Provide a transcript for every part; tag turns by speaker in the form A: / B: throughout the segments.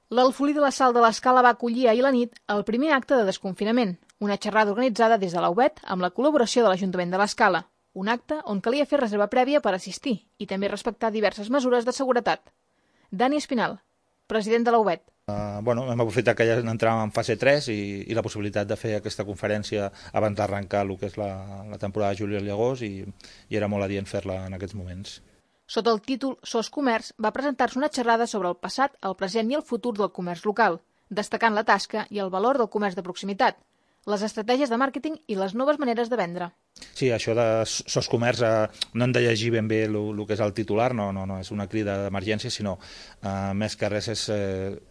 A: L'Alfolí de la Sal de l'Escala va acollir ahir la nit el primer acte de desconfinament, una xerrada organitzada des de la UBET amb la col·laboració de l'Ajuntament de l'Escala, un acte on calia fer reserva prèvia per assistir i també respectar diverses mesures de seguretat. Dani Espinal, president de la UBET.
B: Hem aprofitat que ja entràvem en fase 3 i la possibilitat de fer aquesta conferència abans d'arrencar el que és la temporada de juliol i agost i era molt adient fer-la en aquests moments.
A: Sota el títol SOS Comerç va presentar-se una xerrada sobre el passat, el present i el futur del comerç local, destacant la tasca i el valor del comerç de proximitat, les estratègies de màrqueting i les noves maneres de vendre.
B: Sí, això de SOS Comerç no hem de llegir ben bé el que és el titular, no és una crida d'emergència, sinó més que res és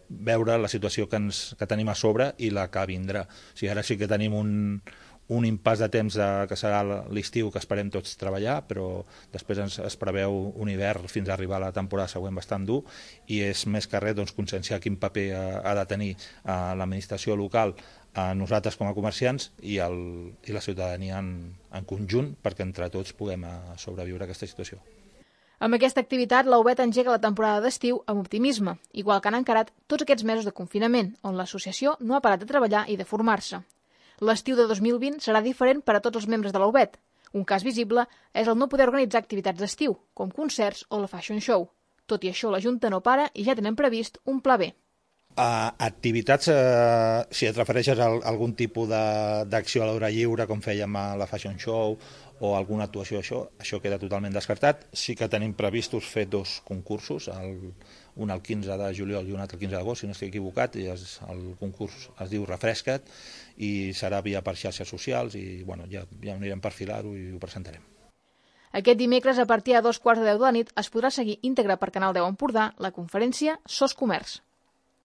B: veure la situació que tenim a sobre i la que vindrà. O sigui, ara sí que tenim un impàs de temps que serà l'estiu que esperem tots treballar, però després es preveu un hivern fins a arribar a la temporada següent bastant dur i és més que res conscienciar quin paper ha de tenir l'administració local, nosaltres com a comerciants i la ciutadania en conjunt perquè entre tots puguem sobreviure a aquesta situació.
A: Amb aquesta activitat, la UBET engega la temporada d'estiu amb optimisme, igual que han encarat tots aquests mesos de confinament, on l'associació no ha parat de treballar i de formar-se. L'estiu de 2020 serà diferent per a tots els membres de la UBET. Un cas visible és el no poder organitzar activitats d'estiu, com concerts o la Fashion Show. Tot i això, la Junta no para i ja tenen previst un pla B.
B: Activitats, si et refereixes a algun tipus d'acció a l'hora lliure, com fèiem a la Fashion Show o alguna actuació, això queda totalment descartat. Sí que tenim previstos fer 2 concursos, un el 15 de juliol i un altre el 15 d'agost, si no estic equivocat, i el concurs es diu Refresca't i serà via per xarxes socials i ja anirem per filar-ho i ho presentarem.
A: Aquest dimecres, a partir de 2:15 de la nit, es podrà seguir íntegra per Canal 10 Empordà la conferència SOS Comerç.